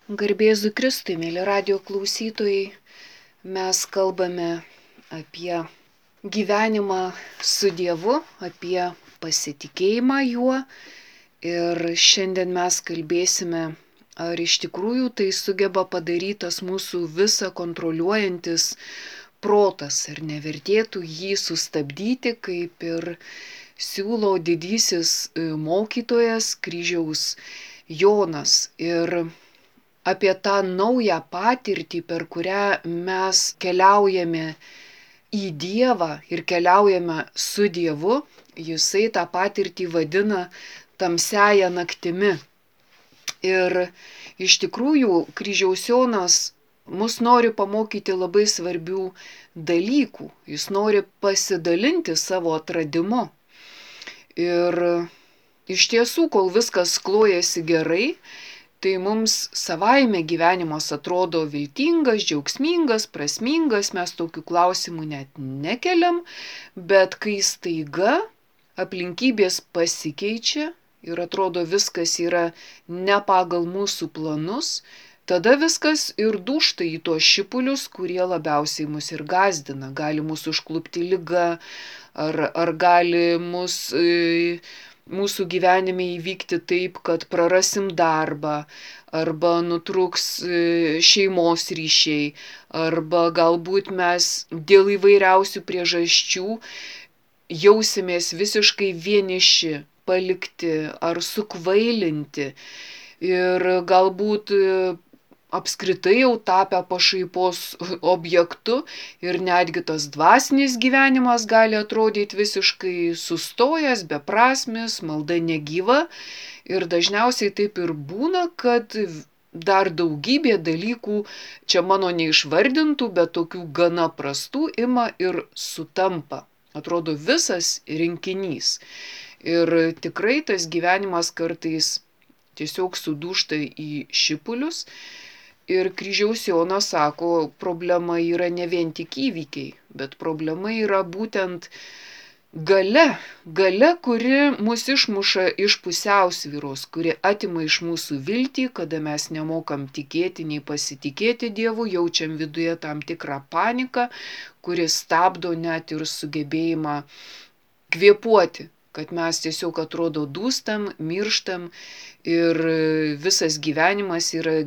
Garbėzu Kristui, mėly radijo klausytojai, mes kalbame apie gyvenimą su Dievu, apie pasitikėjimą juo ir šiandien mes kalbėsime, ar iš tikrųjų tai sugeba padaryti tas mūsų visą kontroliuojantis protas, ar nevertėtų jį sustabdyti, kaip ir siūlo didysis mokytojas kryžiaus Jonas. Ir apie tą naują patirtį, per kurią mes keliaujame į Dievą ir keliaujame su Dievu, jisai tą patirtį vadina tamsiąja naktimi. Ir iš tikrųjų kryžiaus Jonas mus nori pamokyti labai svarbių dalykų. Jis nori pasidalinti savo atradimu. Ir iš tiesų, kol viskas klojasi gerai, tai mums savaime gyvenimas atrodo viltingas, džiaugsmingas, prasmingas, mes tokių klausimų net nekeliam, bet kai staiga aplinkybės pasikeičia ir atrodo viskas yra ne pagal mūsų planus, tada viskas ir dūžta į tuos šipulius, kurie labiausiai mus ir gąsdina. Gali mus užklupti liga, ar gali mūsų gyvenime įvykti taip, kad prarasim darbą, arba nutrūks šeimos ryšiai, arba galbūt mes dėl įvairiausių priežasčių jausimės visiškai vieniši, palikti ar sukvailinti ir galbūt apskritai jau tapę pašaipos objektu ir netgi tas dvasinis gyvenimas gali atrodyti visiškai sustojęs, beprasmis, malda negyva ir dažniausiai taip ir būna, kad dar daugybė dalykų, čia mano neišvardintų, bet tokių gana prastų ima ir sutampa. Atrodo visas rinkinys. Ir tikrai tas gyvenimas kartais tiesiog sudūžta į šipulius. Ir kryžiaus Jonas sako, problema yra ne vien tik įvykiai, bet problema yra būtent galia, kuri mus išmuša iš pusiausvyros, kuri atima iš mūsų viltį, kada mes nemokam tikėti nei pasitikėti Dievu, jaučiam viduje tam tikrą paniką, kuri stabdo net ir sugebėjimą kvėpuoti, kad mes tiesiog atrodo dūstam, mirštam ir visas gyvenimas yra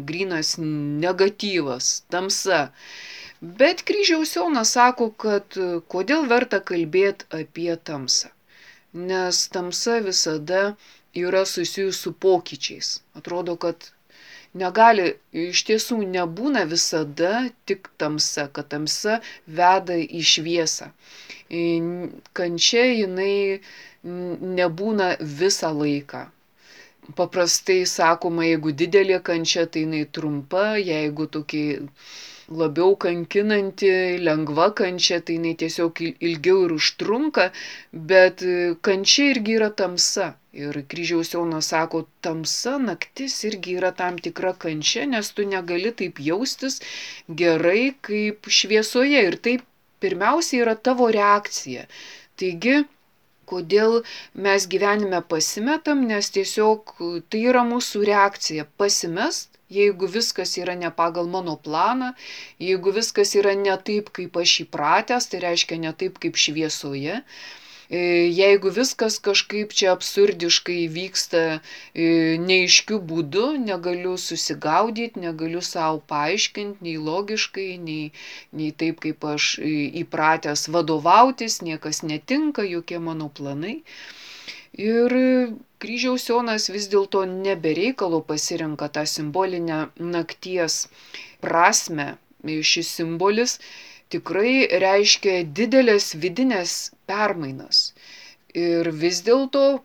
grynas negatyvas, tamsa. Bet kryžiaus Jonas sako, kad kodėl verta kalbėti apie tamsą, nes tamsa visada yra susijusi su pokyčiais. Atrodo, kad negali, iš tiesų nebūna visada tik tamsa, kad tamsa veda į šviesą. Kančia jinai nebūna visą laiką. Paprastai sakoma, jeigu didelė kančia, tai jinai trumpa, jeigu tokia labiau kankinanti, lengva kančia, tai jinai tiesiog ilgiau ir užtrunka, bet kančia irgi yra tamsa. Ir kryžiaus Jonas sako, tamsa, naktis irgi yra tam tikra kančia, nes tu negali taip jaustis gerai kaip šviesoje. Ir taip pirmiausia yra tavo reakcija. Taigi, kodėl mes gyvenime pasimetam, nes tiesiog tai yra mūsų reakcija pasimest, jeigu viskas yra ne pagal mano planą, jeigu viskas yra ne taip, kaip aš įpratęs, tai reiškia ne taip, kaip šviesoje. Jeigu viskas kažkaip čia absurdiškai vyksta neaiškiu būdu, negaliu susigaudyti, negaliu savo paaiškinti, nei logiškai, nei taip, kaip aš įpratęs vadovautis, niekas netinka, jokie mano planai. Ir kryžiaus Jonas vis dėlto nebereikalo pasirenka tą simbolinę nakties prasmę. Šis simbolis tikrai reiškia didelės vidinės permainas. Ir vis dėlto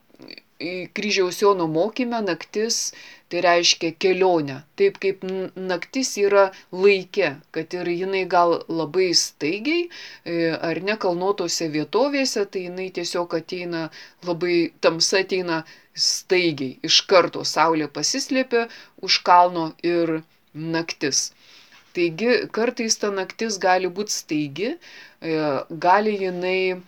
kryžiaus Jono mokyme naktis tai reiškia kelionę. Taip kaip naktis yra laike, kad ir jinai gal labai staigiai, ar ne kalnuotose vietovėse, tai jinai tiesiog ateina labai, tamsa ateina staigiai. Iš karto saulė pasislėpia už kalno ir naktis. Taigi kartais ta naktis gali būti staigi, gali jinai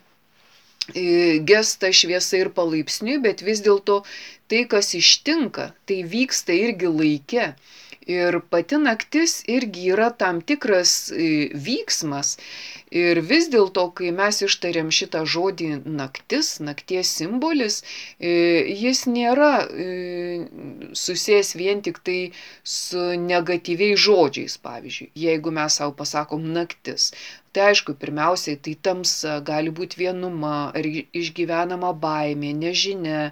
gesta šviesa ir palaipsniui, bet vis dėlto tai, kas ištinka, tai vyksta irgi laike. Ir pati naktis irgi yra tam tikras vyksmas. Ir vis dėlto, kai mes ištariam šitą žodį naktis, nakties simbolis, jis nėra susijęs vien tik tai su negatyviais žodžiais, pavyzdžiui, jeigu mes savo pasakom naktis. Tai aišku, pirmiausiai tai tamsa, gali būti vienuma, ar išgyvenama baimė, nežinia,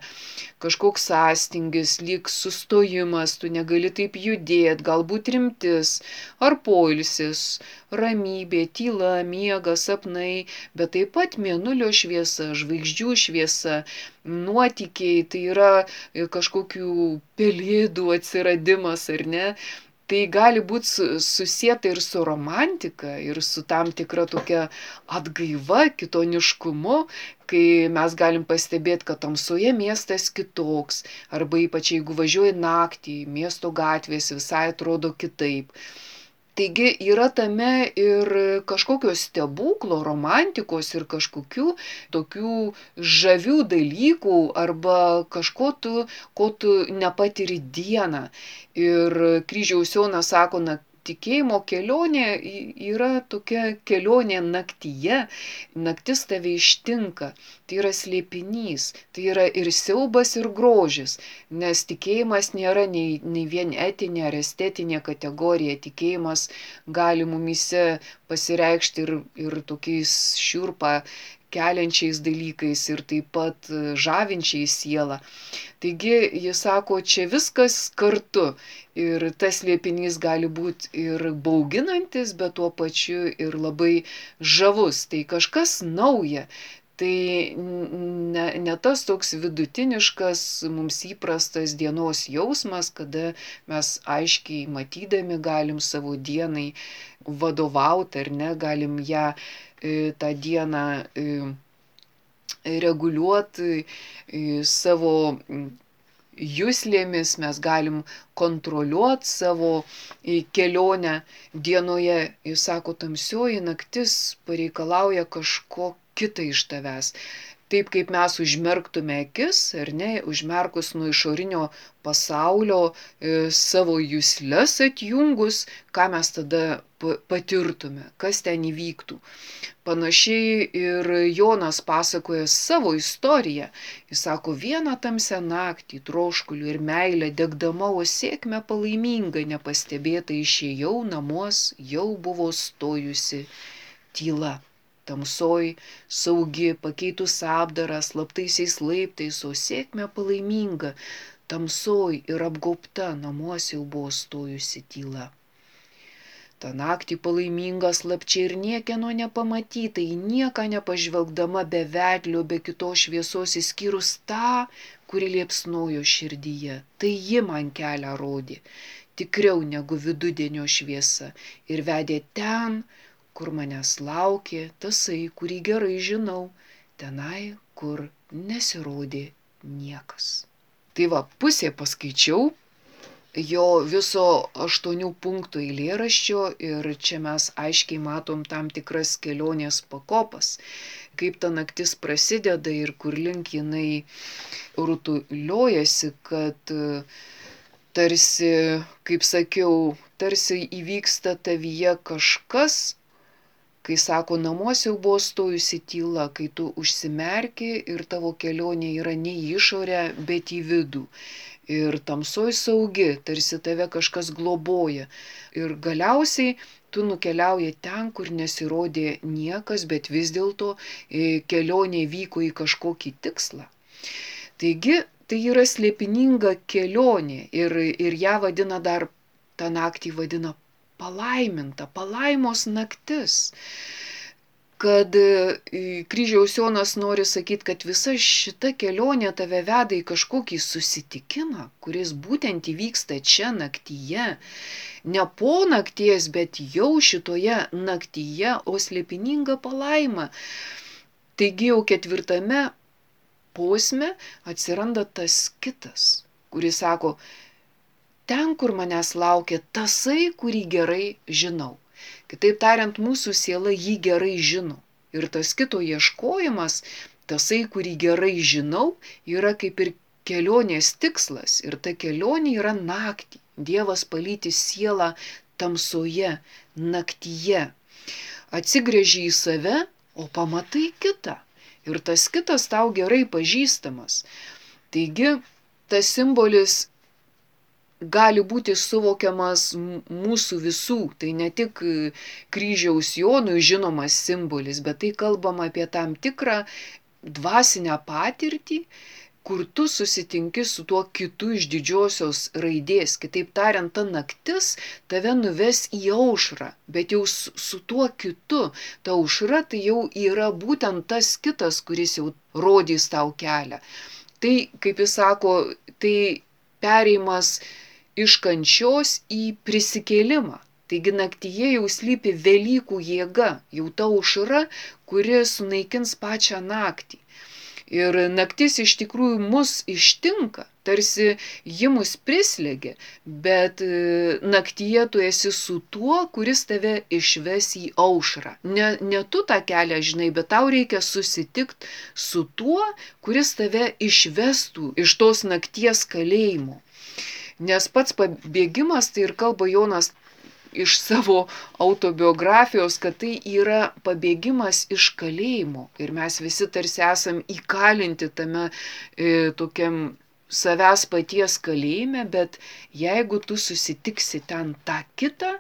kažkoks sąstingis, lyg sustojimas, tu negali taip judėti, galbūt rimtis, ar poilsis, ramybė, tyla, miegas, sapnai, bet taip pat mėnulio šviesa, žvaigždžių šviesa, nuotykiai, tai yra kažkokių pelėdų atsiradimas, ar ne? Tai gali būti susieta ir su romantika, ir su tam tikra tokia atgaiva, kitoniškumu, kai mes galim pastebėti, kad tamsoje miestas kitoks, arba ypač jeigu važiuoji naktį, miesto gatvės visai atrodo kitaip. Taigi yra tame ir kažkokio stebuklo, romantikos ir kažkokių tokių žavių dalykų arba kažko ko tu nepatiri dieną. Ir Kryžiaus Jonas sako, tikėjimo kelionė yra tokia kelionė naktyje, naktis tave ištinka, tai yra slėpinys, tai yra ir siaubas, ir grožis, nes tikėjimas nėra nei vien etinė ar estetinė kategorija, tikėjimas gali mumyse pasireikšti ir tokiais šiurpą keliančiais dalykais ir taip pat žavinčiais sielą. Taigi jis sako, čia viskas kartu ir tas slėpinys gali būti ir bauginantis, bet tuo pačiu ir labai žavus. Tai kažkas nauja. Tai ne tas toks vidutiniškas mums įprastas dienos jausmas, kada mes aiškiai matydami galim savo dienai vadovauti ar ne, galim ją tą dieną reguliuoti savo juslėmis, mes galim kontroliuoti savo kelionę dienoje. Jis sako, tamsioji naktis pareikalauja kažko kitą iš tavęs. Taip kaip mes užmerktume akis, ar ne, užmerkus nuo išorinio pasaulio savo jusles atjungus, ką mes tada patirtume, kas ten įvyktų. Panašiai ir Jonas pasakoja savo istoriją. Jis sako, vieną tamsią naktį, troškulių ir meilę degdama, o sėkmę palaimingą nepastebėta išėjau namuos, jau buvo stojusi tyla. Tamsoj, saugi, pakeitus apdarą, slaptaisiais laiptais, o sėkmė palaiminga, tamsoj ir apgaubta, namuose jau buvo stojusi tyla. Ta naktį palaiminga slapčia ir niekieno nepamatyta, į nieką nepažvelgdama be vedlio, be kitos šviesos, išskyrus tą, kuri liepsnojo širdyje. Tai ji man kelią rodė, tikriau negu vidudienio šviesa, ir vedė ten, kur manęs laukė, tasai, kurį gerai žinau, tenai, kur nesirodė niekas. Tai va, pusė paskaičiau jo viso 8 punktų eilėraščio ir čia mes aiškiai matom tam tikras kelionės pakopas, kaip ta naktis prasideda ir kur link jinai rutuliojasi, kad tarsi, kaip sakiau, tarsi įvyksta tavyje kažkas, kai sako, namuose jau buvo stojusi tyla, kai tu užsimerki ir tavo kelionė yra ne į išorę, bet į vidų. Ir tamsoj saugi, tarsi tave kažkas globoja. Ir galiausiai tu nukeliauji ten, kur nesirodė niekas, bet vis dėlto kelionė vyko į kažkokį tikslą. Taigi, tai yra slėpininga kelionė ir ją vadina dar, tą naktį vadina palaiminta, palaimos naktis. Kad Kryžiaus Jonas nori sakyti, kad visa šita kelionė tave veda į kažkokį susitikimą, kuris būtent įvyksta čia naktyje. Ne po nakties, bet jau šitoje naktyje, o slėpininga palaima. Taigi jau 4 posme atsiranda tas kitas, kuris sako, ten, kur manęs laukia tasai, kurį gerai žinau. Kitaip tariant, mūsų siela jį gerai žino. Ir tas kito ieškojimas, tasai, kurį gerai žinau, yra kaip ir kelionės tikslas ir ta kelionė yra naktį. Dievas palyti sielą tamsoje, naktyje. Atsigręži į save, o pamatai kitą. Ir tas kitas tau gerai pažįstamas. Taigi, tas simbolis gali būti suvokiamas mūsų visų. Tai ne tik kryžiaus Jonui žinomas simbolis, bet tai kalbama apie tam tikrą dvasinę patirtį, kur tu susitinki su tuo kitu iš didžiosios raidės. Kitaip tariant, ta naktis tave nuves į aušrą, bet jau su tuo kitu. Ta aušra tai jau yra būtent tas kitas, kuris jau rodys tau kelią. Tai, kaip jis sako, tai pereimas iš kančios į prisikėlimą. Taigi naktyje jau slypi Velykų jėga, jau ta aušra, kuri sunaikins pačią naktį. Ir naktis iš tikrųjų mus ištinka, tarsi ji mus prislėgia, bet naktyje tu esi su tuo, kuris tave išves į aušrą. Ne tu tą kelią žinai, bet tau reikia susitikti su tuo, kuris tave išvestų iš tos nakties kalėjimo. Nes pats pabėgimas, tai ir kalba Jonas iš savo autobiografijos, kad tai yra pabėgimas iš kalėjimo. Ir mes visi tarsi esam įkalinti tame tokiam savęs paties kalėjime, bet jeigu tu susitiksi ten tą kitą,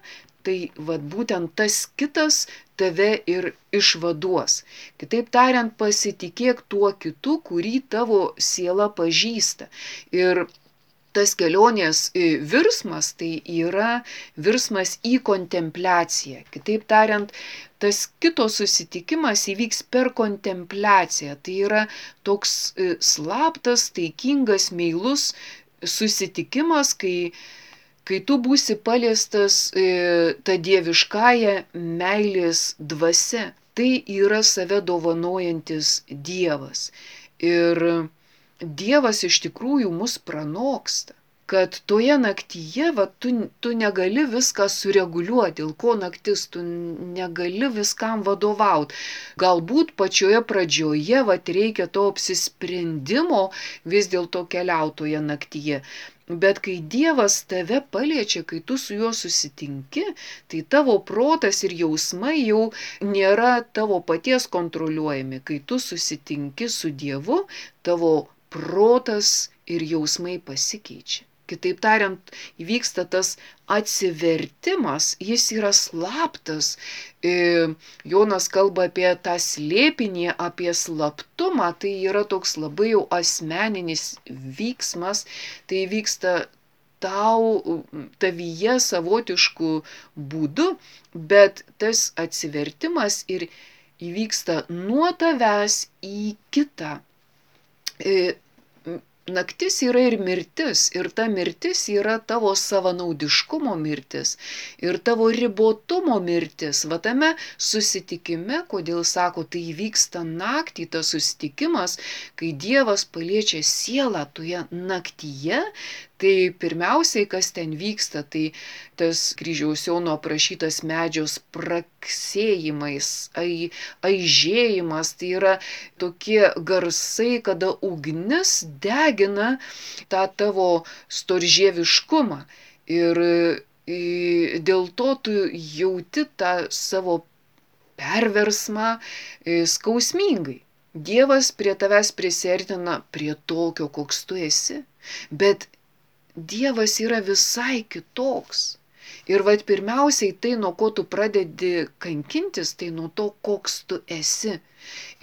tai būtent tas kitas tave ir išvaduos. Kitaip tariant, pasitikėk tuo kitu, kurį tavo siela pažįsta. Ir tas kelionės virsmas tai yra virsmas į kontempliaciją. Kitaip tariant, tas kito susitikimas įvyks per kontempliaciją. Tai yra toks slaptas, taikingas, meilus susitikimas, kai tu būsi paliestas ta dieviškąja meilės dvasia. Tai yra save dovanojantis Dievas. Ir Dievas iš tikrųjų mus pranoksta, kad toje naktyje tu negali viską sureguliuoti, dėl ko naktis, tu negali viskam vadovauti. Galbūt pačioje pradžioje reikia to apsisprendimo vis dėlto keliautoje naktyje. Bet kai Dievas tave paliečia, kai tu su juo susitinki, tai tavo protas ir jausmai jau nėra tavo paties kontroliuojami. Kai tu susitinki su Dievu, tavo protas ir jausmai pasikeičia. Kitaip tariant, įvyksta tas atsivertimas, jis yra slaptas. Jonas kalba apie tą slėpinį, apie slaptumą, tai yra toks labai jau asmeninis vyksmas, tai vyksta tavyje savotiškų būdų, bet tas atsivertimas ir įvyksta nuo tavęs į kitą. Naktis yra ir mirtis, ir ta mirtis yra tavo savanaudiškumo mirtis, ir tavo ribotumo mirtis. Tame susitikime, kodėl sako, tai vyksta naktį, tas susitikimas, kai Dievas paliečia sielą toje naktyje, tai pirmiausiai, kas ten vyksta, tai tas kryžiaus Jono aprašytas medžio spragsėjimais, aižėjimas, tai yra tokie garsai, kada ugnis degina tą tavo storžieviškumą. Ir dėl to tu jauti tą savo perversmą skausmingai. Dievas prie tavęs prisiartina prie tokio, koks tu esi, bet Dievas yra visai kitoks. Ir pirmiausiai tai, nuo ko tu pradedi kankintis, tai nuo to, koks tu esi.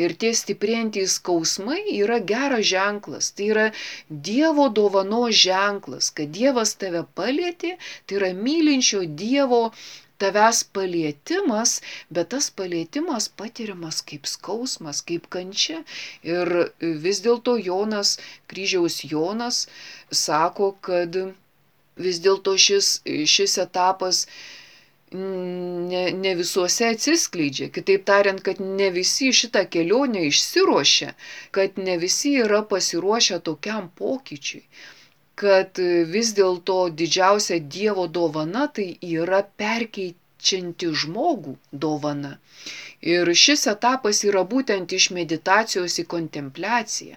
Ir tie stiprėjantys skausmai yra geras ženklas, tai yra Dievo dovanos ženklas, kad Dievas tave palietė, tai yra mylinčio Dievo tavęs palietimas, bet tas palietimas patiriamas kaip skausmas, kaip kančia. Ir vis dėlto Jonas, kryžiaus Jonas, sako, kad vis dėlto šis etapas ne visuose atsiskleidžia. Kitaip tariant, kad ne visi šitą kelionę išsiruošia, kad ne visi yra pasiruošę tokiam pokyčiui. Kad vis dėlto didžiausia Dievo dovana tai yra verčianti žmogų dovana. Ir šis etapas yra būtent iš meditacijos į kontempliaciją.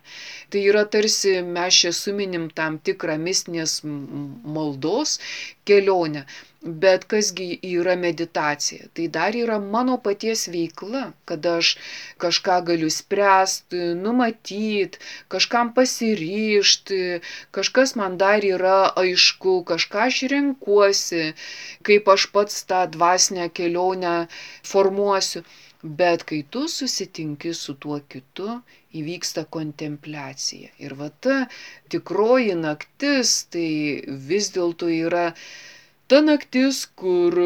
Tai yra tarsi mes čia suminim tam tikrą mistinės maldos kelionę. Bet kasgi yra meditacija? Tai dar yra mano paties veikla, kada aš kažką galiu spręsti, numatyti, kažkam pasiryžti, kažkas man dar yra aišku, kažką aš renkuosi, kaip aš pats tą dvasinę kelionę formuosiu. Bet kai tu susitinki su tuo kitu, įvyksta kontempliacija. Ir va ta tikroji naktis, tai vis dėlto yra ta naktis, kur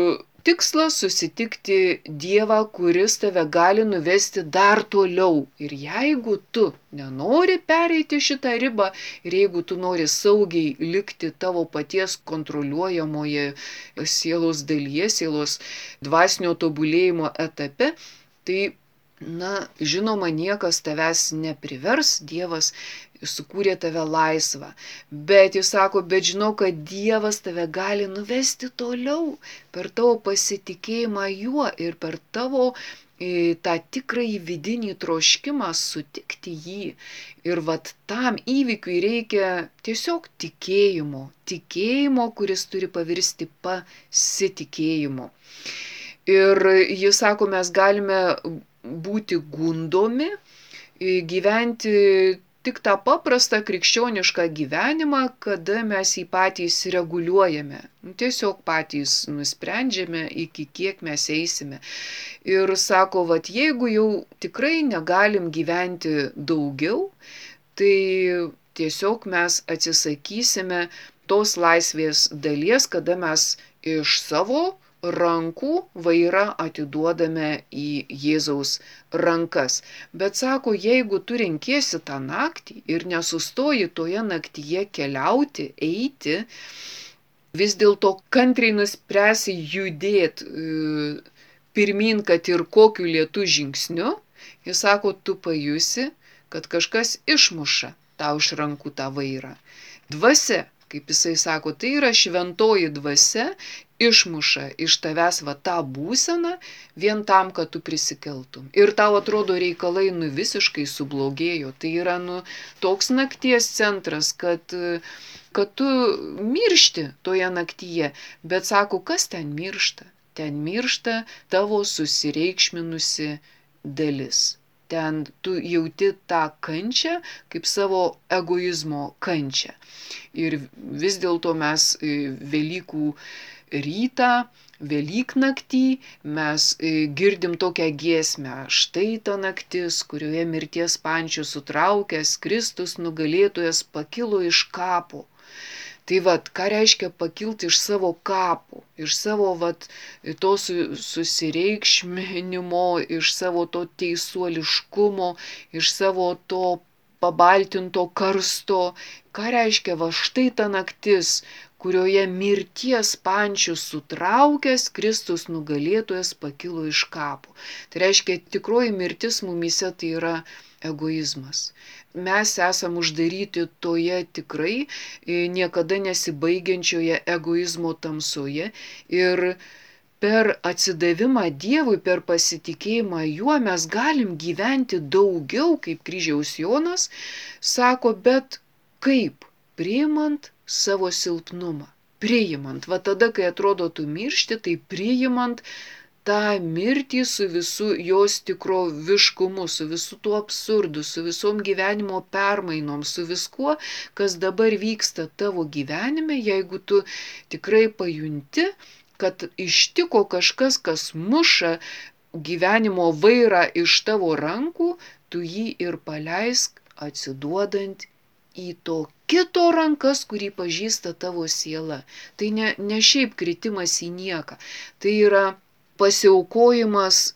tikslas susitikti Dievą, kuris tave gali nuvesti dar toliau. Ir jeigu tu nenori pereiti šitą ribą, ir jeigu tu nori saugiai likti tavo paties kontroliuojamoje sielos dalyje, sielos dvasinio tobulėjimo etape, tai, žinoma, niekas tavęs neprivers, Dievas sukūrė tave laisvą. Bet jis sako, bet žinau, kad Dievas tave gali nuvesti toliau per tavo pasitikėjimą juo ir per tavo tą tikrąjį vidinį troškimą sutikti jį. Ir vat tam įvykiui reikia tiesiog tikėjimo, kuris turi pavirsti pasitikėjimu. Ir jis sako, mes galime būti gundomi, gyventi tik tą paprastą krikščionišką gyvenimą, kada mes jį patys reguliuojame. Tiesiog patys nusprendžiame, iki kiek mes eisime. Ir sako, vat jeigu jau tikrai negalim gyventi daugiau, tai tiesiog mes atsisakysime tos laisvės dalies, kada mes iš savo rankų vairą atiduodame į Jėzaus rankas. Bet sako, jeigu tu renkiesi tą naktį ir nesustoji toje naktyje keliauti, eiti, vis dėlto kantriai nuspręsi judėti pirmin, kad ir kokiu lėtu žingsniu, jis sako, tu pajusi, kad kažkas išmuša tau iš rankų tą vairą. Dvasia, kaip jisai sako, tai yra šventoji dvasia, išmuša iš tavęs va tą būseną vien tam, kad tu prisikeltum. Ir tau atrodo reikalai visiškai sublogėjo. Tai yra toks nakties centras, kad tu miršti toje naktyje. Bet sako, kas ten miršta? Ten miršta tavo susireikšminusi dalis. Ten tu jauti tą kančią kaip savo egoizmo kančią. Ir vis dėlto mes Velykų rytą, Velyknaktį mes girdim tokią giesmę. Štai ta naktis, kurioje mirties pančius sutraukęs Kristus nugalėtojas pakilo iš kapo. Tai vat, ką reiškia pakilti iš savo kapo, iš savo to susireikšminimo, iš savo to teisuoliškumo, iš savo to pabaltinto karsto. Ką reiškia štai ta naktis, kurioje mirties pančius sutraukęs Kristus nugalėtojas pakilo iš kapo. Tai reiškia, tikroji mirtis mumyse tai yra egoizmas. Mes esam uždaryti toje tikrai niekada nesibaigiančioje egoizmo tamsoje ir per atsidavimą Dievui, per pasitikėjimą juo mes galim gyventi daugiau, kaip kryžiaus Jonas sako, bet kaip? Priimant savo silpnumą. Priimant. Va tada, kai atrodo tu miršti, tai priimant tą mirtį su visu jos tikroviškumu, su visu tuo absurdu, su visom gyvenimo permainom, su viskuo, kas dabar vyksta tavo gyvenime, jeigu tu tikrai pajunti, kad ištiko kažkas, kas muša gyvenimo vairą iš tavo rankų, tu jį ir paleisk atsiduodant į to kito rankas, kurį pažįsta tavo siela. Tai ne šiaip kritimas į nieką. Tai yra pasiaukojimas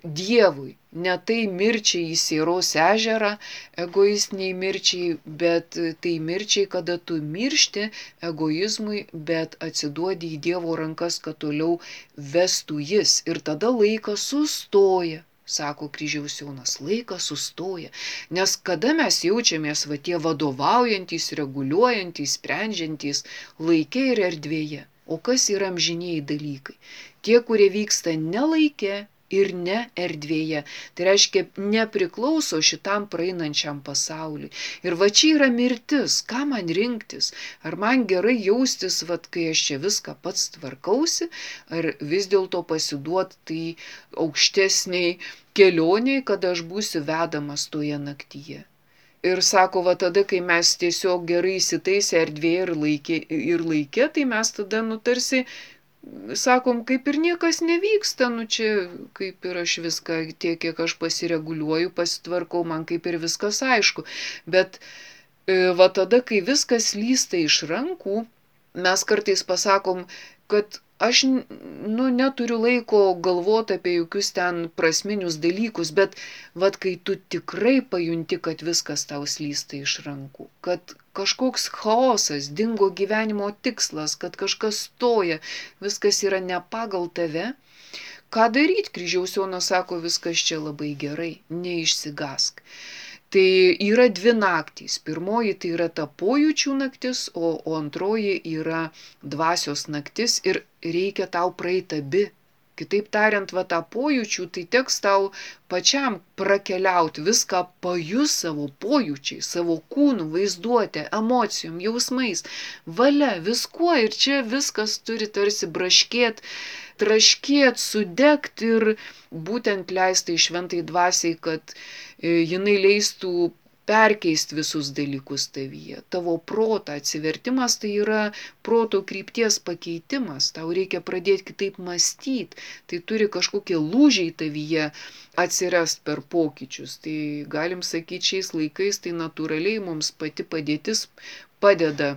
Dievui. Ne tai mirčiai į Sieros ežerą, egoistiniai mirčiai, bet tai mirčiai, kada tu miršti egoizmui, bet atsiduodi į Dievo rankas, kad toliau vestų jis. Ir tada laikas sustoja. Sako kryžiaus Jonas, laikas sustoja. Nes kada mes jaučiamės tie vadovaujantys, reguliuojantys, sprendžiantys laike ir erdvėje? O kas yra amžinieji dalykai? Tie, kurie vyksta ne laike ir ne erdvėje. Tai reiškia, nepriklauso šitam praeinančiam pasauliui. Ir va čia yra mirtis. Ką man rinktis? Ar man gerai jaustis, kai aš čia viską pats tvarkausi, ar vis dėlto pasiduoti tai aukštesniai kelioniai, kad aš būsiu vedamas toje naktyje. Ir sako, va tada, kai mes tiesiog gerai įsitaisę erdvėje ir laike, tai mes tada, tarsi, sakom, kaip ir niekas nevyksta, čia kaip ir aš viską, tiek, kiek aš pasireguliuoju, pasitvarkau, man kaip ir viskas aišku. Bet va tada, kai viskas lysta iš rankų, mes kartais pasakom, kad aš neturiu laiko galvoti apie jokius ten prasminius dalykus, bet kai tu tikrai pajunti, kad viskas tau slysta iš rankų, kad kažkoks chaosas, dingo gyvenimo tikslas, kad kažkas stoja, viskas yra ne pagal tave, ką daryti? Kryžiaus Jonas sako, viskas čia labai gerai, neišsigąsk. Tai yra 2 naktys. Pirmoji tai yra ta pojūčių naktis, o antroji yra dvasios naktis ir reikia tau praeiti abi. Kitaip tariant, tą pojūčių, tai teks tau pačiam prakeliauti, viską pajus savo pojūčiai, savo kūnų, vaizduotė, emocijom, jausmais, valia, viskuo ir čia viskas turi tarsi braškėti, traškėti, sudegti ir būtent leisti šventai dvasiai, kad jinai leistų perkeisti visus dalykus tavyje. Tavo protą atsivertimas tai yra proto krypties pakeitimas. Tau reikia pradėti kitaip mąstyti. Tai turi kažkokie lūžiai tavyje atsirast per pokyčius. Tai galim sakyti, šiais laikais tai natūraliai mums pati padėtis padeda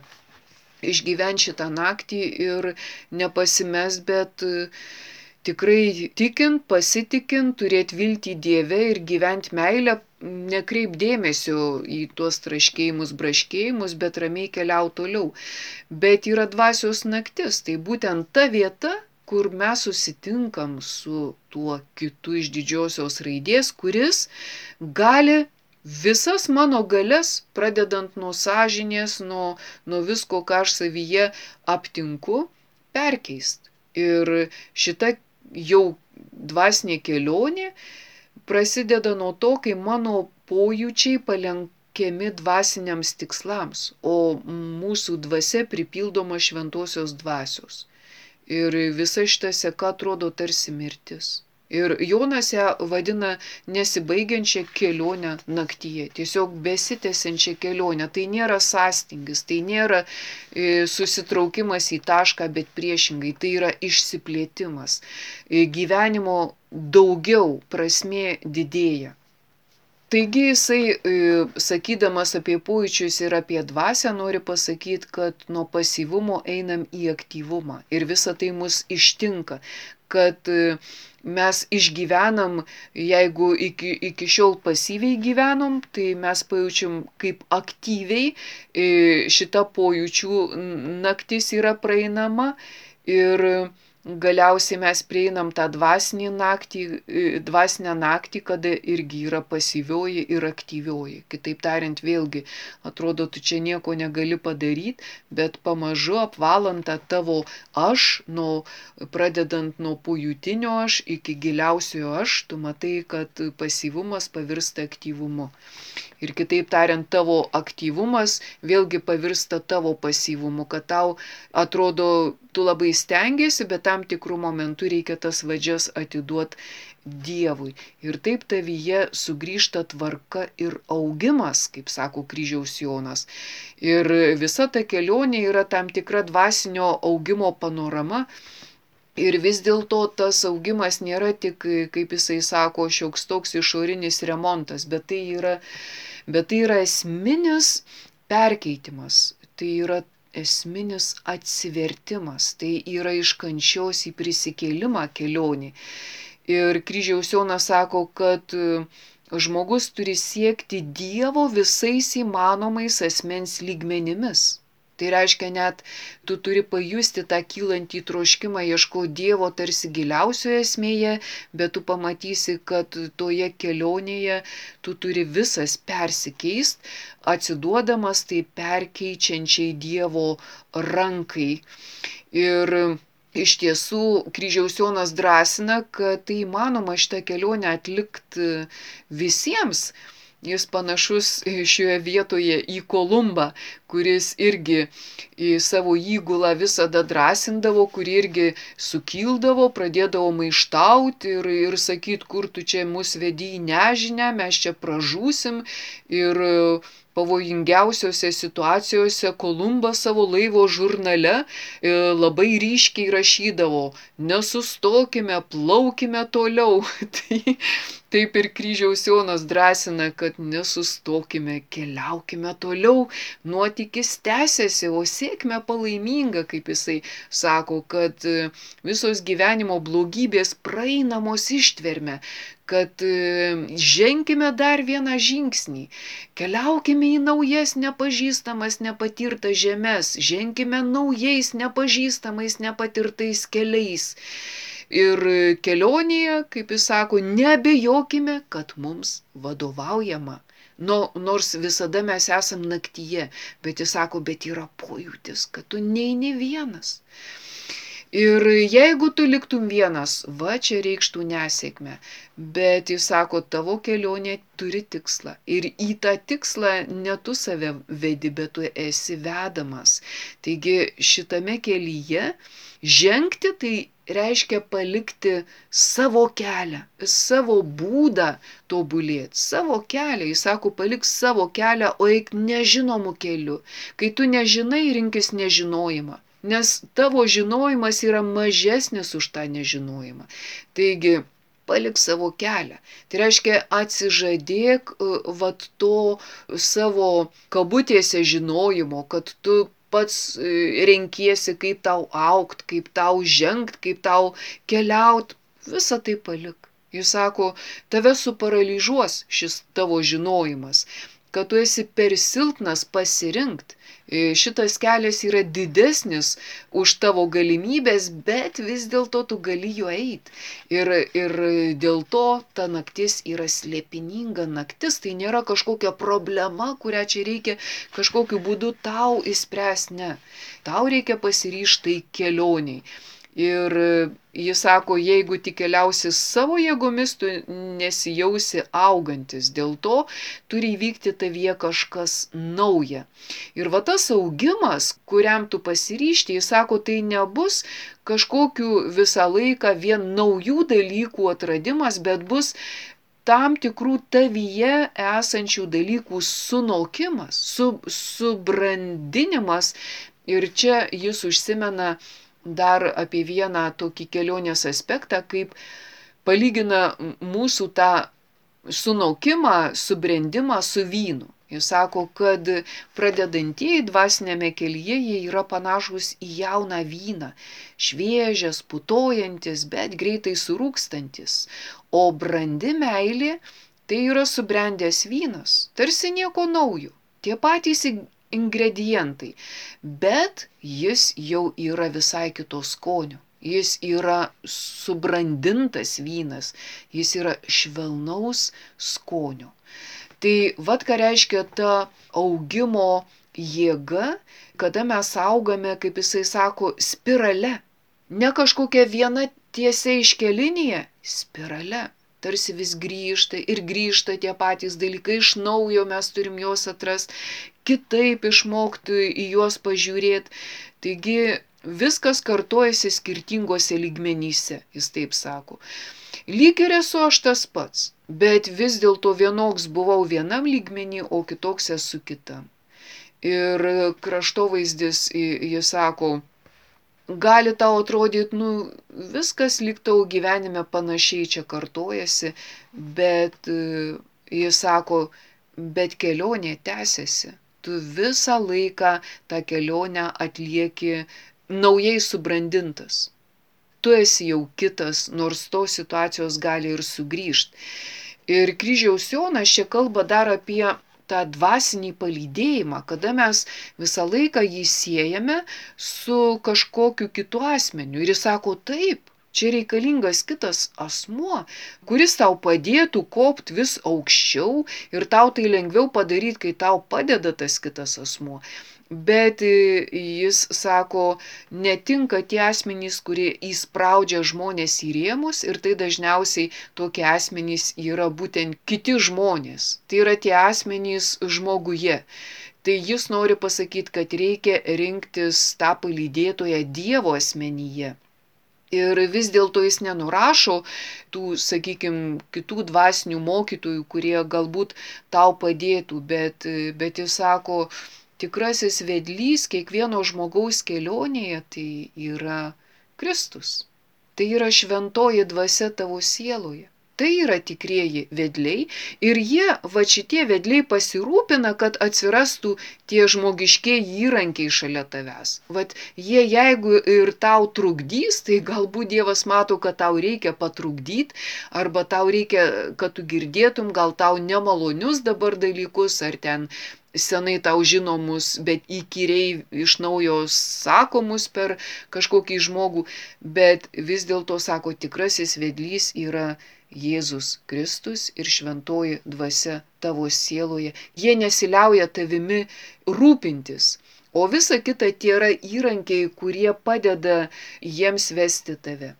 išgyventi šitą naktį ir nepasimes, bet tikrai tikint, pasitikint, turėti viltį Dieve ir gyventi meilę, nekreip dėmesio į tuos traškėjimus, braškėjimus, bet ramiai keliau toliau. Bet yra dvasios naktis, tai būtent ta vieta, kur mes susitinkam su tuo kitu iš didžiosios raidės, kuris gali visas mano galias, pradedant nuo sąžinės, nuo visko, ką aš savyje aptinku, perkeist. Ir šita jau dvasinė kelionė prasideda nuo to, kai mano pojūčiai palenkiami dvasiniams tikslams, o mūsų dvasia pripildoma šventosios dvasios. Ir visa šita seka atrodo tarsi mirtis. Ir Jonas ją vadina nesibaigiančią kelionę naktyje, tiesiog besitęsiančią kelionę. Tai nėra sąstingis, tai nėra susitraukimas į tašką, bet priešingai, tai yra išsiplėtimas. Gyvenimo daugiau, prasmė didėja. Taigi jisai, sakydamas apie pojūčius ir apie dvasią, nori pasakyti, kad nuo pasyvumo einam į aktyvumą. Ir visa tai mus ištinka, kad mes išgyvenam, jeigu iki šiol pasyviai gyvenom, tai mes pajaučiam, kaip aktyviai šita pojūčių naktis yra praeinama ir galiausiai mes prieinam tą dvasinę naktį, kada irgi yra pasyvioji ir aktyvioji. Kitaip tariant, vėlgi, atrodo, tu čia nieko negali padaryti, bet pamažu apvalant tą tavo aš, pradedant nuo pojūtinio aš iki giliausiojo aš, tu matai, kad pasyvumas pavirsta aktyvumu. Ir kitaip tariant, tavo aktyvumas vėlgi pavirsta tavo pasyvumu, kad tau atrodo, tu labai stengiasi, bet tam tikrų momentų reikia tas vadžias atiduoti Dievui. Ir taip tavyje sugrįžta tvarka ir augimas, kaip sako Kryžiaus Jonas. Ir visa ta kelionė yra tam tikra dvasinio augimo panorama. Ir vis dėlto tas augimas nėra tik, kaip jisai sako, šioks toks išorinis remontas, bet tai yra esminis perkeitimas, tai yra esminis atsivertimas, tai yra iš kančios į prisikėlimą kelionė. Ir Kryžiaus Jonas sako, kad žmogus turi siekti Dievo visais įmanomais asmens lygmenimis. Tai reiškia, net tu turi pajusti tą kylantį troškimą ieškoti Dievo tarsi giliausioje esmėje, bet tu pamatysi, kad toje kelionėje tu turi visas persikeist, atsiduodamas tai perkeičiančiai Dievo rankai. Ir iš tiesų kryžiaus Jonas drąsina, kad tai įmanoma šitą kelionę atlikti visiems. Jis panašus šioje vietoje į Kolumbą, kuris irgi į savo įgulą visada drąsindavo, kuri irgi sukildavo, pradėdavo maištauti ir sakyt, kur tu čia mus vedi į nežinę, mes čia pražūsim. Ir pavojingiausiose situacijose Kolumbas savo laivo žurnale labai ryškiai rašydavo: nesustokime, plaukime toliau. Taip ir kryžiaus Jonas drąsina, kad nesustokime, keliaukime toliau, nuotykis tęsiasi, o sėkmė palaiminga, kaip jisai sako, kad visos gyvenimo blogybės praeinamos ištverme, kad ženkime dar vieną žingsnį, keliaukime į naujas nepažįstamas, nepatirtas žemes, ženkime naujais nepažįstamais, nepatirtais keliais. Ir kelionėje, kaip jis sako, neabejokime, kad mums vadovaujama. Nors visada mes esam naktyje, bet jis sako, bet yra pojūtis, kad tu neini vienas. Ir jeigu tu liktum vienas, va čia reikštų nesėkmę, bet jis sako, tavo kelionė turi tikslą. Ir į tą tikslą ne tu save vedi, bet tu esi vedamas. Taigi šitame kelyje žengti tai reiškia palikti savo kelią, savo būdą tobulėti, savo kelią. Jis sako, palik savo kelią, o eik nežinomu keliu. Kai tu nežinai, rinkis nežinojimą. Nes tavo žinojimas yra mažesnis už tą nežinojimą. Taigi, palik savo kelią. Tai reiškia, atsižadėk vat to savo kabutėse žinojimo, kad tu pats renkiesi, kaip tau augt, kaip tau žengt, kaip tau keliaut. Visą tai palik. Jis sako, tave suparalyžuos šis tavo žinojimas, kad tu esi per silpnas pasirinkt. Šitas kelias yra didesnis už tavo galimybės, bet vis dėlto tu gali juo eiti. Ir dėl to ta naktis yra slėpininga naktis, tai nėra kažkokia problema, kurią čia reikia kažkokiu būdu tau įspręsti, ne. Tau reikia pasiryžti kelioniai. Ir jis sako, jeigu tik keliausi savo jėgomis, tu nesijausi augantis. Dėl to turi įvykti tavyje kažkas nauja. Ir va tas augimas, kuriam tu pasiryžti, jis sako, tai nebus kažkokiu visą laiką vien naujų dalykų atradimas, bet bus tam tikrų tavyje esančių dalykų sunokimas, subrandinimas. Ir čia jis užsimena dar apie vieną tokį kelionės aspektą, kaip palygina mūsų tą sunokimą, subrendimą su vynu. Jis sako, kad pradedantieji dvasinėme kelyje jie yra panašus į jauną vyną, šviežias, putojantis, bet greitai surūkstantis. O brandi meilė tai yra subrendęs vynas, tarsi nieko naujo, tie patys ingredientai, bet jis jau yra visai kito skonio. Jis yra subrandintas vynas, jis yra švelnaus skonio. Tai vat ką reiškia ta augimo jėga, kada mes augame, kaip jisai sako, spirale. Ne kažkokia viena tiesia iškelinėje, spirale. Tarsi vis grįžta ir grįžta tie patys dalykai, iš naujo mes turim juos atrasti, kitaip išmokti į juos pažiūrėti. Taigi viskas kartojasi skirtingose lygmenyse, jis taip sako. Lyg ir esu aš tas pats, bet vis dėlto vienoks buvau vienam lygmenį, o kitoks esu kitam. Ir kraštovaizdis, jis sako, gali tau atrodyti, viskas lyg tau gyvenime panašiai čia kartojasi, bet jis sako, bet kelionė tęsiasi. Tu visą laiką tą kelionę atlieki naujai subrandintas. Tu esi jau kitas, nors tos situacijos gali ir sugrįžti. Ir kryžiaus Jonas čia kalba dar apie tą dvasinį palydėjimą, kada mes visą laiką jį siejame su kažkokiu kitu asmeniu. Ir jis sako, taip, čia reikalingas kitas asmuo, kuris tau padėtų kopti vis aukščiau ir tau tai lengviau padaryti, kai tau padeda tas kitas asmuo. Bet jis sako, netinka tie asmenys, kurie įspraudžia žmonės į rėmus ir tai dažniausiai tokie asmenys yra būtent kiti žmonės. Tai yra tie asmenys žmoguje. Tai jis nori pasakyti, kad reikia rinktis tą palydėtoją Dievo asmenyje. Ir vis dėlto jis nenurašo tų, sakykime, kitų dvasinių mokytojų, kurie galbūt tau padėtų, bet jis sako, tikrasis vedlys kiekvieno žmogaus kelionėje tai yra Kristus. Tai yra šventoji dvasia tavo sieloje. Tai yra tikrieji vedliai ir jie, va šitie vedliai pasirūpina, kad atsirastų tie žmogiškieji įrankiai šalia tavęs. Vat jie jeigu ir tau trukdys, tai galbūt Dievas mato, kad tau reikia patrukdyti, arba tau reikia, kad tu girdėtum gal tau nemalonius dabar dalykus, ar ten senai tau žinomus, bet įkyriai iš naujo sakomus per kažkokį žmogų, bet vis dėlto sako, tikrasis vedlys yra Jėzus Kristus ir šventoji dvasia tavo sieloje. Jie nesiliauja tavimi rūpintis, o visa kita tie yra įrankiai, kurie padeda jiems vesti tave.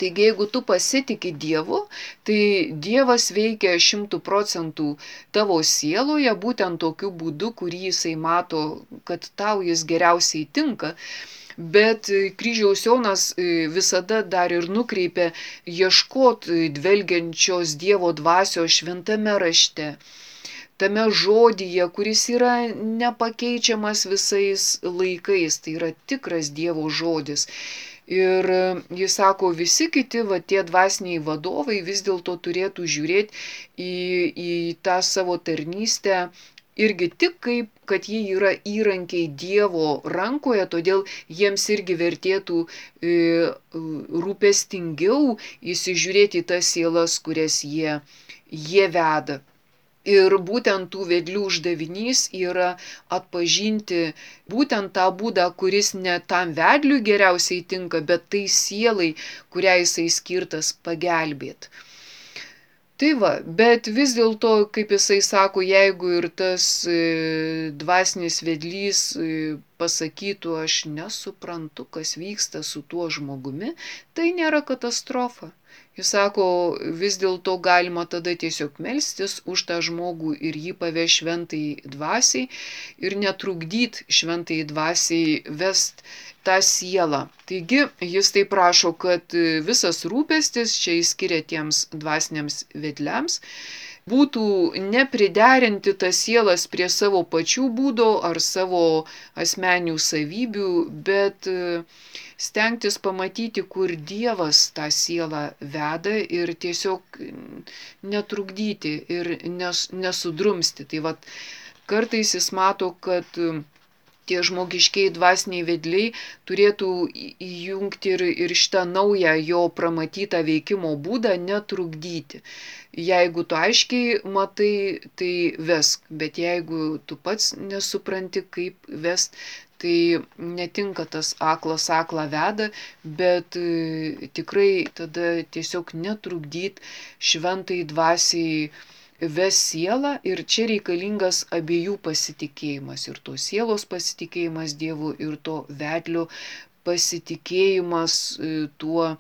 Taigi, jeigu tu pasitiki Dievu, tai Dievas veikia 100% tavo sieloje, būtent tokiu būdu, kurį jisai mato, kad tau jis geriausiai tinka. Bet kryžiaus Jonas visada dar ir nukreipia ieškot dvelgiančios Dievo dvasios šventame rašte, tame žodyje, kuris yra nepakeičiamas visais laikais, tai yra tikras Dievo žodis. Ir jis sako, visi kiti tie dvasiniai vadovai vis dėlto turėtų žiūrėti į tą savo tarnystę irgi tik kaip, kad jie yra įrankiai Dievo rankoje, todėl jiems irgi vertėtų rūpestingiau įsižiūrėti į tas sielas, kurias jie veda. Ir būtent tų vedlių uždavinys yra atpažinti būtent tą būdą, kuris ne tam vedliui geriausiai tinka, bet tai sielai, kuriai jisai skirtas pagelbėti. Tai va, bet vis dėlto, kaip jisai sako, jeigu ir tas dvasinis vedlys pasakytų, aš nesuprantu, kas vyksta su tuo žmogumi, tai nėra katastrofa. Jis sako, vis dėlto galima tada tiesiog melstis už tą žmogų ir jį paveš šventai dvasiai ir netrukdyti šventai dvasiai vest tą sielą. Taigi jis tai prašo, kad visas rūpestis, čia jis skiria tiems dvasiniams vedliams, būtų nepriderinti tas sielas prie savo pačių būdo ar savo asmeninių savybių, bet stengtis pamatyti, kur Dievas tą sielą veda ir tiesiog netrukdyti ir nesudrumsti. Tai vat, kartais jis mato, kad tie žmogiškiai dvasiniai vedliai turėtų įjungti ir šitą naują jo pramatytą veikimo būdą netrukdyti. Jeigu tu aiškiai matai, tai vesk, bet jeigu tu pats nesupranti, kaip vest, tai netinka tas aklas aklą veda, bet tikrai tada tiesiog netrukdyti šventai dvasiai ves sielą ir čia reikalingas abiejų pasitikėjimas, ir to sielos pasitikėjimas Dievu, ir to vedlio pasitikėjimas tuo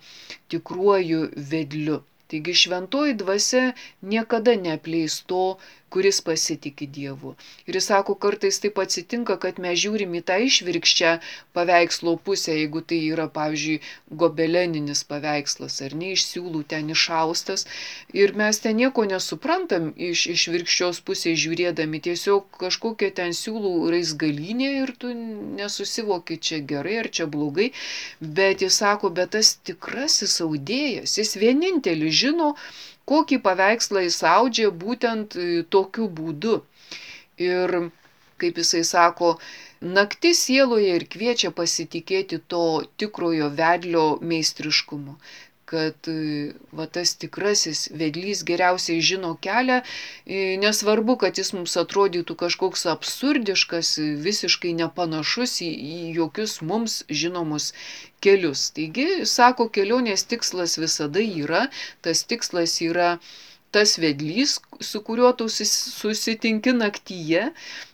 tikruoju vedliu. Taigi šventoji dvasia niekada neapleis to, kuris pasitiki Dievu. Ir jis sako, kartais taip atsitinka, kad mes žiūrim į tą išvirkščią paveikslo pusę, jeigu tai yra, pavyzdžiui, gobeleninis paveikslas, ar ne iš siūlų ten išaustas, ir mes ten nieko nesuprantam iš išvirkščios pusės žiūrėdami, tiesiog kažkokia ten siūlų raizgalynė ir tu nesusivoki, čia gerai ar čia blogai, bet jis sako, bet tas tikrasis audėjas, jis vienintelis žino, kokį paveikslą jis audžia būtent tokiu būdu. Ir, kaip jisai sako, naktis sieloje ir kviečia pasitikėti to tikrojo vedlio meistriškumu, kad va, tas tikrasis vedlys geriausiai žino kelią, nesvarbu, kad jis mums atrodytų kažkoks absurdiškas, visiškai nepanašus į jokius mums žinomus kelius. Taigi, sako, kelionės tikslas visada yra, tas tikslas yra tas vedlys, su kuriuo tu susitinki naktyje.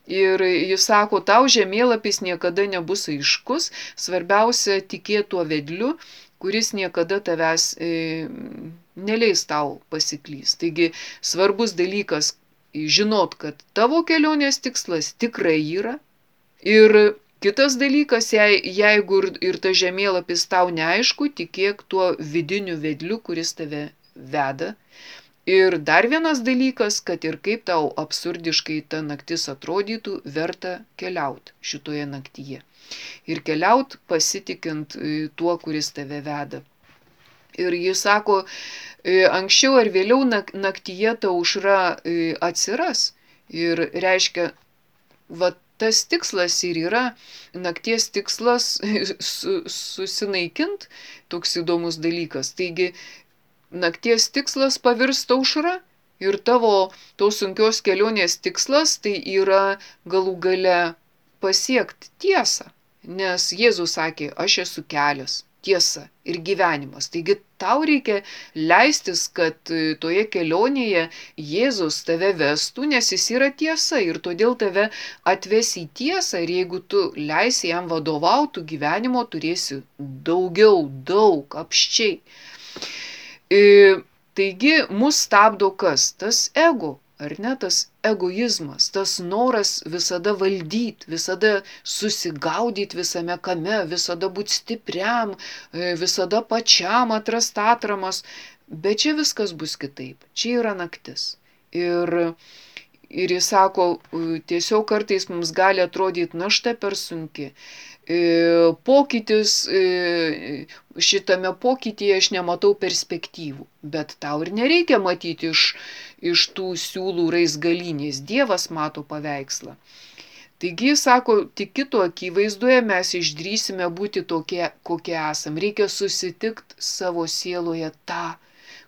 Ir jis sako, tau žemėlapis niekada nebus aiškus, svarbiausia tikėti tuo vedliu, kuris niekada tavęs neleis tau pasiklysti. Taigi svarbus dalykas žinot, kad tavo kelionės tikslas tikrai yra. Ir kitas dalykas, jeigu ir ta žemėlapis tau neaišku, tikėk tuo vidiniu vedliu, kuris tave veda. Ir dar vienas dalykas, kad ir kaip tau absurdiškai ta naktis atrodytų, verta keliauti šitoje naktyje. Ir keliauti pasitikint tuo, kuris tave veda. Ir jis sako, anksčiau ar vėliau naktyje ta aušra atsiras. Ir reiškia, va tas tikslas ir yra, nakties tikslas susinaikint, toks įdomus dalykas. Taigi, nakties tikslas pavirsta aušra ir tavo tos sunkios kelionės tikslas tai yra galų gale pasiekti tiesą. Nes Jėzus sakė, aš esu kelias, tiesa ir gyvenimas. Taigi tau reikia leistis, kad toje kelionėje Jėzus tave vestų, nes jis yra tiesa ir todėl tave atves į tiesą ir jeigu tu leisi jam vadovauti, gyvenimo turėsi daug, apščiai. Taigi mus stabdo kas? Tas ego, ar ne? Tas egoizmas, tas noras visada valdyti, visada susigaudyti visame kame, visada būti stipriam, visada pačiam atrast atramas. Bet čia viskas bus kitaip. Čia yra naktis. Ir jis sako, tiesiog kartais mums gali atrodyti našta per sunki. Pokytis, šitame pokytyje aš nematau perspektyvų, bet tau ir nereikia matyti iš tų siūlų raizgalynės, Dievas mato paveikslą. Taigi, sako, tik kito akivaizdoje mes išdrįsime būti tokie, kokie esam. Reikia susitikti savo sieloje tą,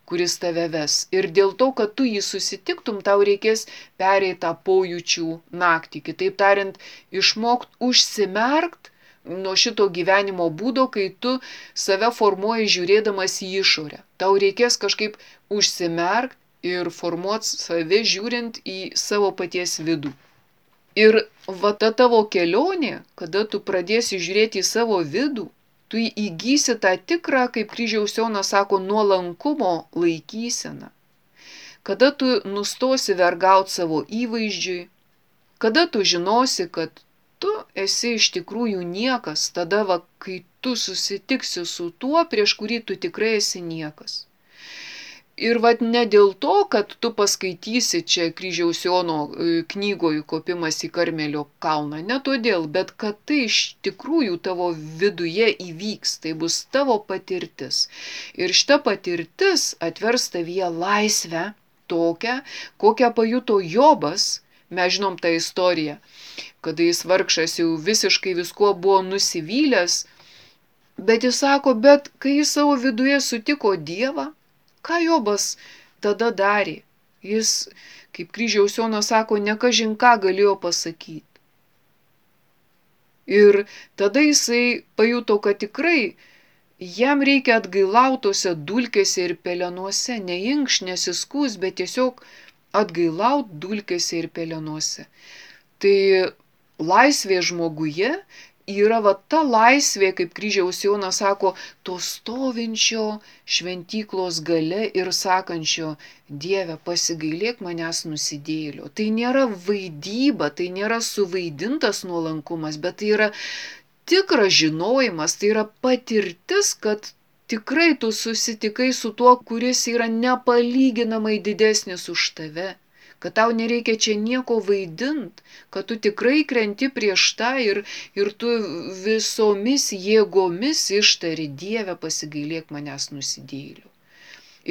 kuris tave ves. Ir dėl to, kad tu jį susitiktum, tau reikės pereiti tą pojūčių naktį. Kitaip tariant, išmokti užsimerkt nuo šito gyvenimo būdo, kai tu save formuoji žiūrėdamas į išorę. Tau reikės kažkaip užsimerkt ir formuoti save žiūrint į savo paties vidų. Ir va ta tavo kelionė, kada tu pradėsi žiūrėti į savo vidų, tu įgysi tą tikrą, kaip Kryžiaus Jonas sako, nuolankumo laikyseną. Kada tu nustosi vergauti savo įvaizdžiui, kada tu žinosi, kad tu esi iš tikrųjų niekas, tada va, kai tu susitiksi su tuo, prieš kurį tu tikrai esi niekas. Ir vat ne dėl to, kad tu paskaitysi čia Kryžiaus Jono knygoje Kopimas į Karmelio kalną, ne todėl, bet kad tai iš tikrųjų tavo viduje įvyks, tai bus tavo patirtis. Ir šita patirtis atvers tavyje laisvę tokią, kokią pajuto Jobas, mes žinom tą istoriją, kada jis vargšas jau visiškai viskuo buvo nusivylęs, bet jis sako, bet kai jis savo viduje sutiko Dievą, ką Jobas tada darė? Jis, kaip Kryžiaus Jonas sako, nekažin ką galėjo pasakyti. Ir tada jisai pajuto, kad tikrai jam reikia atgailautose dulkėse ir pelenuose, neinkš, nesiskūs, bet tiesiog atgailaut dulkėse ir pelenuose. Tai laisvė žmoguje yra va ta laisvė, kaip Kryžiaus Jonas sako, to stovinčio šventyklos gale ir sakančio, Dieve, pasigailėk manęs nusidėjėlio. Tai nėra vaidyba, tai nėra suvaidintas nuolankumas, bet tai yra tikras žinojimas, tai yra patirtis, kad tikrai tu susitikai su tuo, kuris yra nepalyginamai didesnis už tave. Kad tau nereikia čia nieko vaidint, kad tu tikrai krenti prieš tą ir tu visomis jėgomis ištari, Dieve, pasigailėk manęs nusidėjėlių.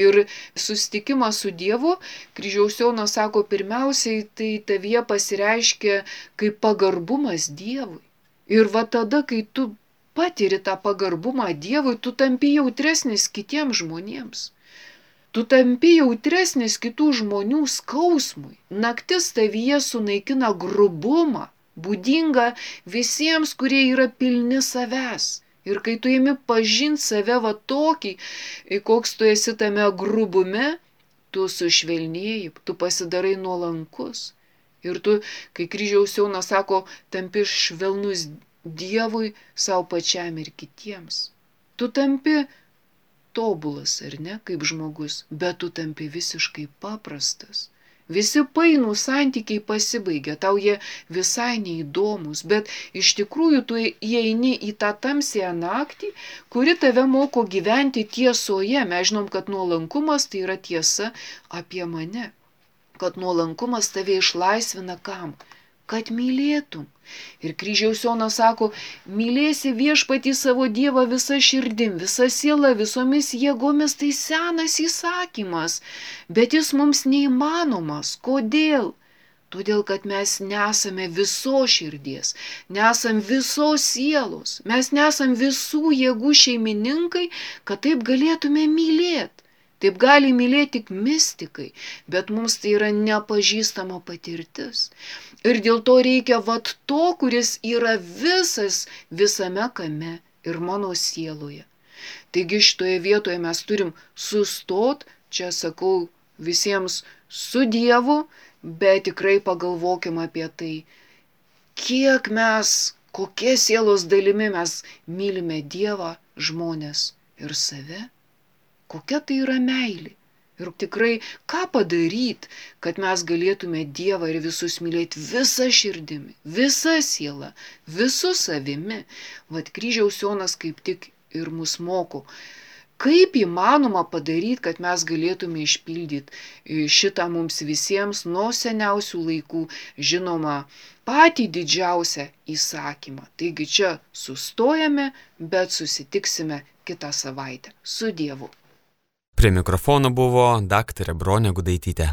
Ir susitikimas su Dievu, Kryžiaus Jonas sako, pirmiausiai tai tavyje pasireiškia kaip pagarbumas Dievui. Ir va tada, kai tu patiri tą pagarbumą Dievui, tu tampi jautresnis kitiems žmonėms. Tu tampi jautresnis kitų žmonių skausmui. Naktis tavyje sunaikina grubumą, būdinga visiems, kurie yra pilni savęs. Ir kai tu imi pažinti save va tokį, koks tu esi tame grubume, tu sušvelnėji, tu pasidarai nuolankus. Ir tu, kai kryžiaus Jonas sako, tampi švelnus Dievui, savo pačiam ir kitiems. Tu tampi tobulas, ar ne, kaip žmogus, bet tu tampi visiškai paprastas. Visi painų santykiai pasibaigia, tau jie visai neįdomus, bet iš tikrųjų tu įeini į tą tamsiąją naktį, kuri tave moko gyventi tiesoje. Mes žinom, kad nuolankumas tai yra tiesa apie mane, kad nuolankumas tave išlaisvina kam? Kad mylėtum. Ir kryžiaus Jonas sako, mylėsi viešpatį savo Dievą visa širdim, visa siela, visomis jėgomis, tai senas įsakymas, bet jis mums neįmanomas. Kodėl? Todėl, kad mes nesame visos širdies, nesam visos sielos, mes nesam visų jėgų šeimininkai, kad taip galėtume mylėti. Taip gali mylėti tik mistikai, bet mums tai yra nepažįstama patirtis. Ir dėl to reikia to, kuris yra visame kame ir mano sieloje. Taigi šitoje vietoje mes turim sustot, čia sakau visiems su Dievu, bet tikrai pagalvokim apie tai, kiek mes, kokie sielos dalimi mes mylime Dievą, žmones ir save. Kokia tai yra meilė. Ir tikrai, ką padaryti, kad mes galėtume Dievą ir visus mylėti visa širdimi, visa siela, visu savimi. Vat kryžiaus Jonas kaip tik ir mus moko. Kaip įmanoma padaryti, kad mes galėtume išpildyti šitą mums visiems nuo seniausių laikų žinoma patį didžiausią įsakymą. Taigi čia sustojame, bet susitiksime kitą savaitę. Su Dievu. Prie mikrofono buvo daktarė Bronė Gudaitytė.